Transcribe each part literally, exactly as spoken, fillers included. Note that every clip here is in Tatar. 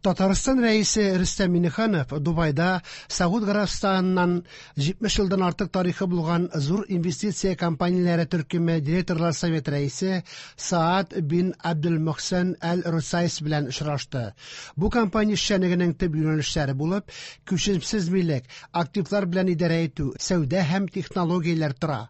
Татарстан Рәисе Рөстәм Миңнеханов Дубайда Сауд Гарәбстаныннан җитмеш елдан артык тарихы булган зур инвестиция компанияләре төркеме директорлар советы рәисе Саад бин Абдул-Мөхсен Әл-Русайс белән очрашты. Бу компания эшчәнлегенең төп юнәлешләре булып күчемсез милек, активлар белән идарә итү, сәүдә һәм технологияләр тора.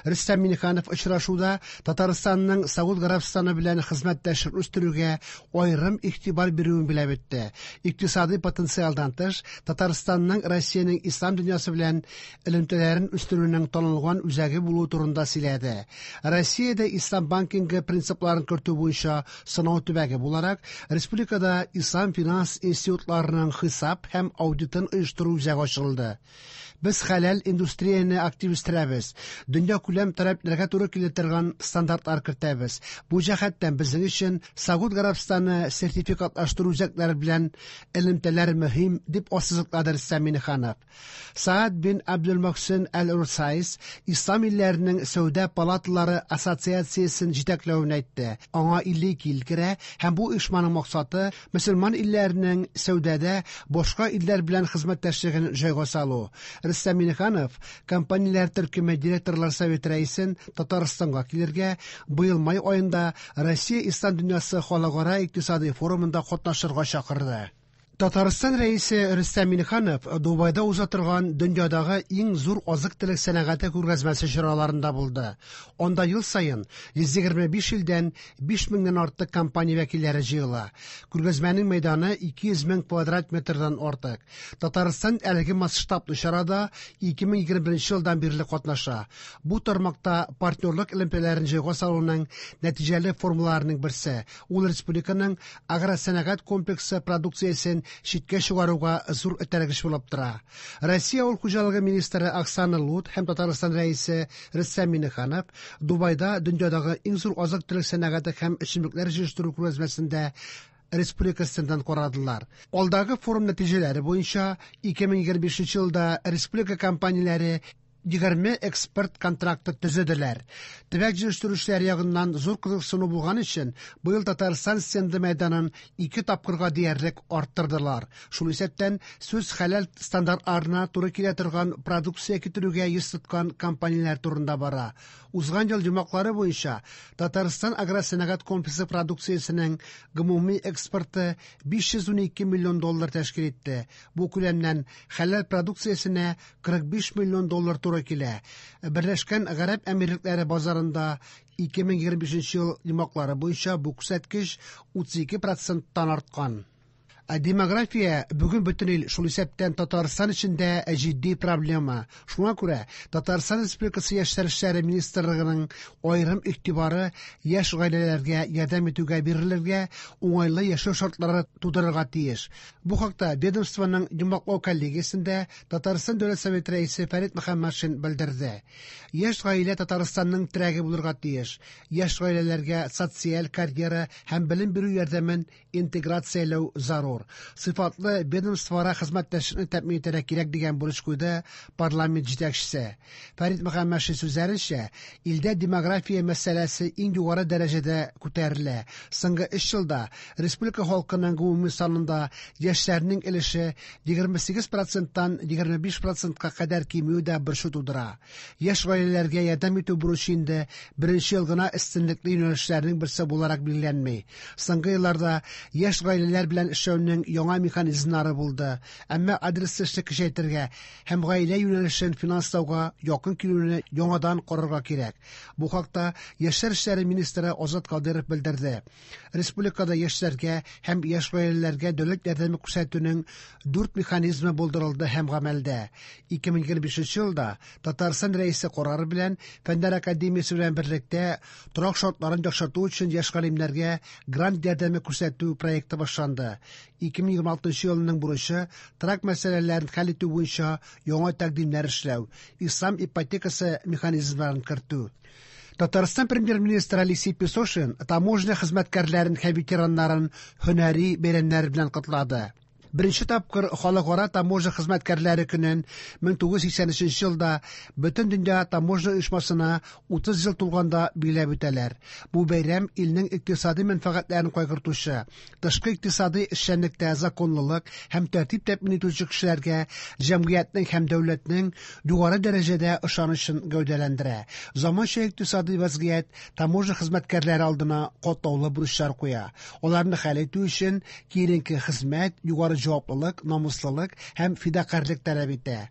Рөстәм Миңнеханов очрашуда Татарстанның Сауд Гарәбстаны белән хезмәттәшлек үстерүгә аерым игътибар бирүен билгеләп үтте. Икътисадый потенциалдан тыш, Татарстанның Россиянең ислам дөньясы белән элемтәләрен үстерүнең танылган үзәге булуы турында сөйләде. Россиядә ислам банкингы принципларын кертү буенча сынау төбәге буларак, республикада ислам финанс институтларының хисап һәм аудитын оештыру үзәге ачылды. Без хәләл индустрияне актив үстерәбез. Дөньякүләм таләпләргә туры килә торган стандартлар кертәбез. Бу җәһәттән безнең өчен Сауд Гарәбстаны сертификатлаштыру үзәкләре белән элемтәләр мөһим, дип ассызыклады Рөстәм Миңнеханов. Саад бин Абдул-Мөхсен Әл-Русайс Ислам илләренең сәүдә палаталары ассоциациясен җитәкләвен әйтте. Аңа илле ике ил керә һәм бу оешманың максаты мөселман илләренең сәүдәдә башка илләр белән хезмәттәшлеген җайга салу. Рөстәм Миңнеханов компанияләр төркеме директорлар советы рәисен Татарстанга килергә, быел май аенда Россия Ислам дөньясы халыкара икътисадый форумында катнашырга чакырды. Татарстан Рәисе Рөстәм Миңнеханов Дубайда уза торган дөньядагы иң зур азык-төлек сәнәгате күргәзмәсе чараларында булды. Анда ел саен йөз егерме биш илдән биш меңнән артык компания вәкилләре җыела. Күргәзмәнең мәйданы ике йөз мең квадрат метрдан артык. Татарстан әлеге масштаблы чарада ике мең егерме беренче елдан бирле катнаша. Бу тармакта партнерлык элемтәләрен җайга салуның нәтиҗәле формаларының берсе. Ул республиканың агросәнәгать комплексы продукциясен читкә чыгаруга зур этәргеч булып тора. Россия авыл хуҗалыгы министры Оксана Лут һәм Татарстан Рәисе Рөстәм Миңнеханов Дубайда дөньядагы иң зур азык-төлек сәнәгате һәм эчемлекләр җитештерү күргәзмәсендә республика стендын карадылар. Алдагы форум нәтиҗәләре буенча ике мең егерме бишенче елда республика компанияләре егерме экспорт контракты төзеделәр. Төбәк җитештерүчеләр ягыннан зур кызыксыну булган өчен быел Татарстан стенды мәйданын ике тапкырга диярлек арттырдылар. Шул исәптән сүз хәләл стандартларына туры килә торган продукция китерүгә йөз тоткан компанияләр турында бара. Узган ел йомгаклары буенча Татарстан агросәнәгать комплексы продукциясенең гомуми экспорты биш йөз унике миллион доллар тәшкил итте. Бу күләмнән хәләл продукциясенә кырык биш миллион доллар туры килә. Берләшкән Гарәп Әмирлекләре базарында ике мең егерме бишенче ел йомгаклары буенча бу күрсәткеч утыз ике проценттан арткан. Ә демография бүген бөтен ил, шул исәптән Татарстан өчен дә җитди проблема. Шуңа күрә Татарстан Республикасы Яшьләр эшләре министрлыгының аерым игътибары яшь гаиләләргә ярдәм итүгә бирелергә, уңайлы яшәү шартлары тудырырга тиеш. Бу хакта ведомствоның йомгаклау коллегиясендә Татарстан Дәүләт Советы рәисе Фәрит Мөхәммәтшин белдерде. Яшь гаилә Татарстанның терәге булырга тиеш. Яшь гаиләләргә социаль карьера һәм белем бирү ярдәмен интеграцияләү зарур. Сыйфатлы ведомствоара хезмәттәшлекне тәэмин итәргә кирәк дигән бурыч куйды парламент җитәкчесе. Фәрит Мөхәммәтшин сүзләренчә, илдә демография мәсьәләсе иң югары дәрәҗәдә күтәрелә. Соңгы өч елда республика халкының гомуми санында яшьләрнең өлеше егерме сигез проценттан егерме биш процентка кадәр кимүе дә борчу тудыра. Яшь гаиләләргә ярдәм итү бурычы инде беренче ел гына өстенлекле юнәлешләрнең берсе буларак билгеләнми. Соңгы елларда яшь гаиләләр белән эшләүнең яңа механизмнары булды. Әмма адреслы эшне көчәйтергә һәм гаилә юнәлешен финанслауга якын килүне яңадан карарга кирәк. Бу хакта Яшьләр эшләре министры Азат Кадыров белдерде. Республикада яшьләргә һәм яшь гаиләләргә дәүләт ярдәме күрсәтүнең дүрт механизмы булдырылды һәм гамәлдә. Ике мең егерме бишенче елда Татарстан Рәисе карары белән Фәннәр академиясе белән берлектә торак шартларын яхшырту өчен яшь галимнәргә грант ярдәме күрсәтү проекты башланды. Ике мең егерме алтынчы елның бурычы торак мәсьәләләрен хәл итү буенча яңа тәкъдимнәр эшләү, ислам ипотекасы механизмнарын кертү. Татарстан премьер-министры Алексей Песошин таможня хезмәткәрләрен һәм ветераннарын һөнәри бәйрәмнәре белән котлады. Беренче тапкыр Халыкара таможня хезмәткәрләре көнен мең тугыз йөз сиксән өченче елда Бөтендөнья таможня оешмасына утыз ел тулганда билгеләп үтәләр. Бу бәйрәм илнең икътисади мәнфәгатьләрен кайгыртучы, тышкы икътисади эшчәнлектә законлылык һәм тәртип тәэмин итүче кешеләргә җәмгыятьнең һәм дәүләтнең югары дәрәҗәдә ышанычын гәүдәләндерә. Заманча икътисади вазгыять таможня хезмәткәрләре алдына катлаулы бурычлар куя. Аларны хәл итү өчен киеренке хезмәт, югары җаваплылык, намуслылык һәм фидакарьлек таләп итә.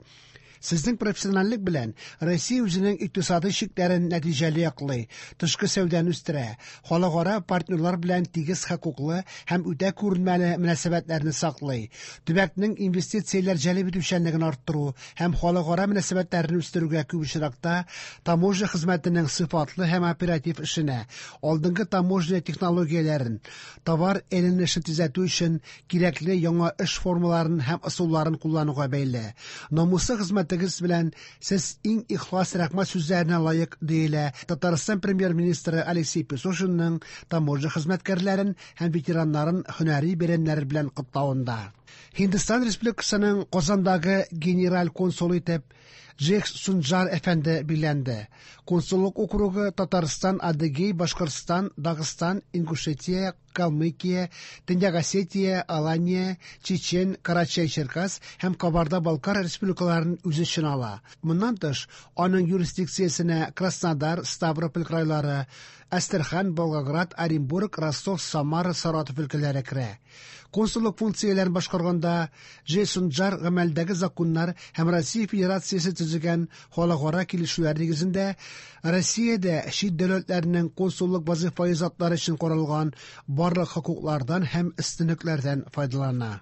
Сезнең профессиональлек белән Россия үзенең икътисади чикләрен нәтиҗәле яклый, тышкы сәүдәне үстерә, халыкара партнерлар белән тигез хокуклы һәм үтә күренмәле мөнәсәбәтләрне саклый, төбәкнең инвестицияләр җәлеп итүчәнлеген арттыру һәм халыкара мөнәсәбәтләрне үстерүгә күп очракта таможня хезмәтенең сыйфатлы һәм оператив эшенә, алдынгы таможня технологияләрен, товар әйләнешен тизләтү өчен кирәкле яңа эш формаларын һәм ысулларын куллануга бәйле. Намуслы хезмәтегез белән сез иң ихлас рәхмәт сүзләренә лаек, диелә Татарстан премьер-министры Алексей Песошинның таможня хезмәткәрләрен һәм ветераннарын һөнәри бәйрәмнәре белән котлавында. Һиндстан Республикасының Казандагы генераль консулы итеп Джек Сунджар әфәнде билгеләнде. Консуллык округы Татарстан, Адыгей, Башкортстан, Дагыстан, Ингушетия, Калмыкия, Төньяк Осетия, Алания, Чечен, Карачай-Черкас һәм Кабарда-Балкар республикаларын үз эченә ала. Моннан тыш, аның юрисдикциясенә Краснодар, Ставрополь крайлары, Әстерхан, Волгоград, Оренбург, Ростов, Самара, Саратов өлкәләре керә. Консуллык функцияләрен башкарганда Джейсон Джар гамәлдәге законнар һәм Россия Федерациясе төзегән халыкара килешүләр нигезендә Россиядә чит дәүләтләрнең консуллык вазифаи затлары өчен каралган барлык хокуклардан һәм өстенлекләрдән файдалана.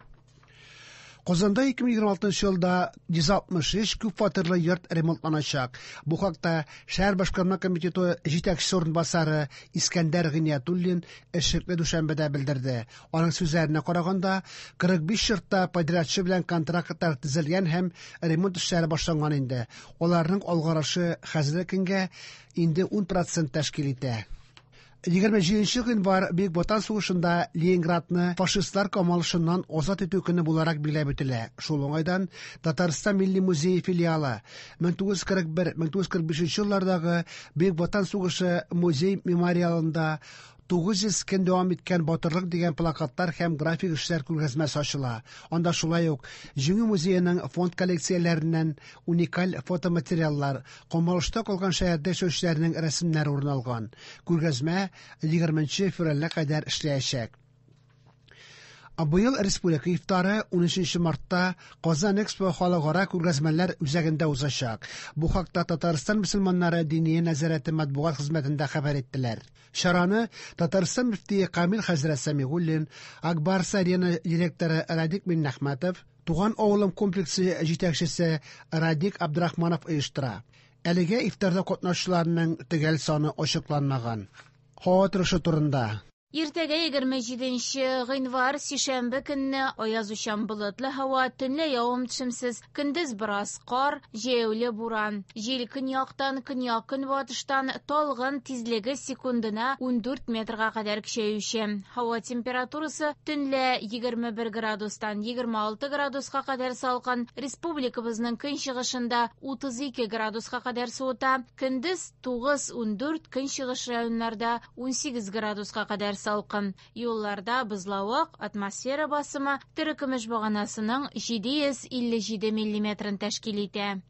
Казанда ике мең егерме алтынчы елда йөз алтмыш өч күп фатирлы йорт ремонтланачак. Бу хакта шәһәр башкарма комитеты җитәкчесе урынбасары Искәндәр Гыйниятуллин эшлекле дүшәмбедә белдерде. Аның сүзләренә караганда, кырык биш йортта подрядчы белән контрактлар төзелгән һәм ремонт эшләре башланган инде. Аларның алгарышы хәзерге көнгә инде ун процент тәшкил итә. Егерме җиденче гыйнвар Бөек Ватан сугышында Ленинградны фашистлар камалышыннан азат итү көне буларак билгеләп үтелә. Шул уңайдан Татарстан Милли музее филиалы мең тугыз йөз кырык бер, мең тугыз йөз кырык бишенче еллардагы Бөек Ватан сугышы музей мемориалында тугыз йөз көн дәвам иткән батырлык дигән плакатлар һәм график эшләр күргәзмәсе ачыла. Анда шулай ук Җиңү музееның фонд коллекцияләреннән уникаль фотоматериаллар, камалышта калган шәһәрдә яшәүчеләрнең рәсемнәре урын алган. Күргәзмә егерменче февральгә кадәр эшләячәк. Быел республика ифтары унөченче мартта Казан Экспо халыкара күргәзмәләр үзәгендә узачак. Бу хакта Татарстан мөселманнары диния нәзарәте матбугат хезмәтендә хәбәр иттеләр. Чараны Татарстан мөфтие Камил хәзрәт Сәмигуллин, Акбарс Арена директоры Радик Миннәхмәтов, Туган авылым комплексы җитәкчесе Радик Абдрахманов оештыра. Әлегә ифтарда катнашучыларның төгәл саны ачыкланмаган. Һава торышы турында. Иртәгә егерме җиденче гыйнвар сишәмбе көнне аязучан болытлы һава, төнлә явым-төшемсез, көндез бераз кар, җәяүле буран. Җил көньяктан, көньяк-көнбатыштан талгын, тизлеге секундына ундүрт метрга кадәр көчәюче. Һава температурасы төнлә егерме бер градустан егерме алты градуска кадәр салкын, республикабызның көнчыгышында утыз ике градуска кадәр суыта, көндез тугыз ундүрт, көнчыгыш районнарда унсигез градуска кадәр салкын. Юлларда бозлавык, атмосфера басымы терекөмеш баганасының җиде йөз илле җиде миллиметрын тәшкил итә.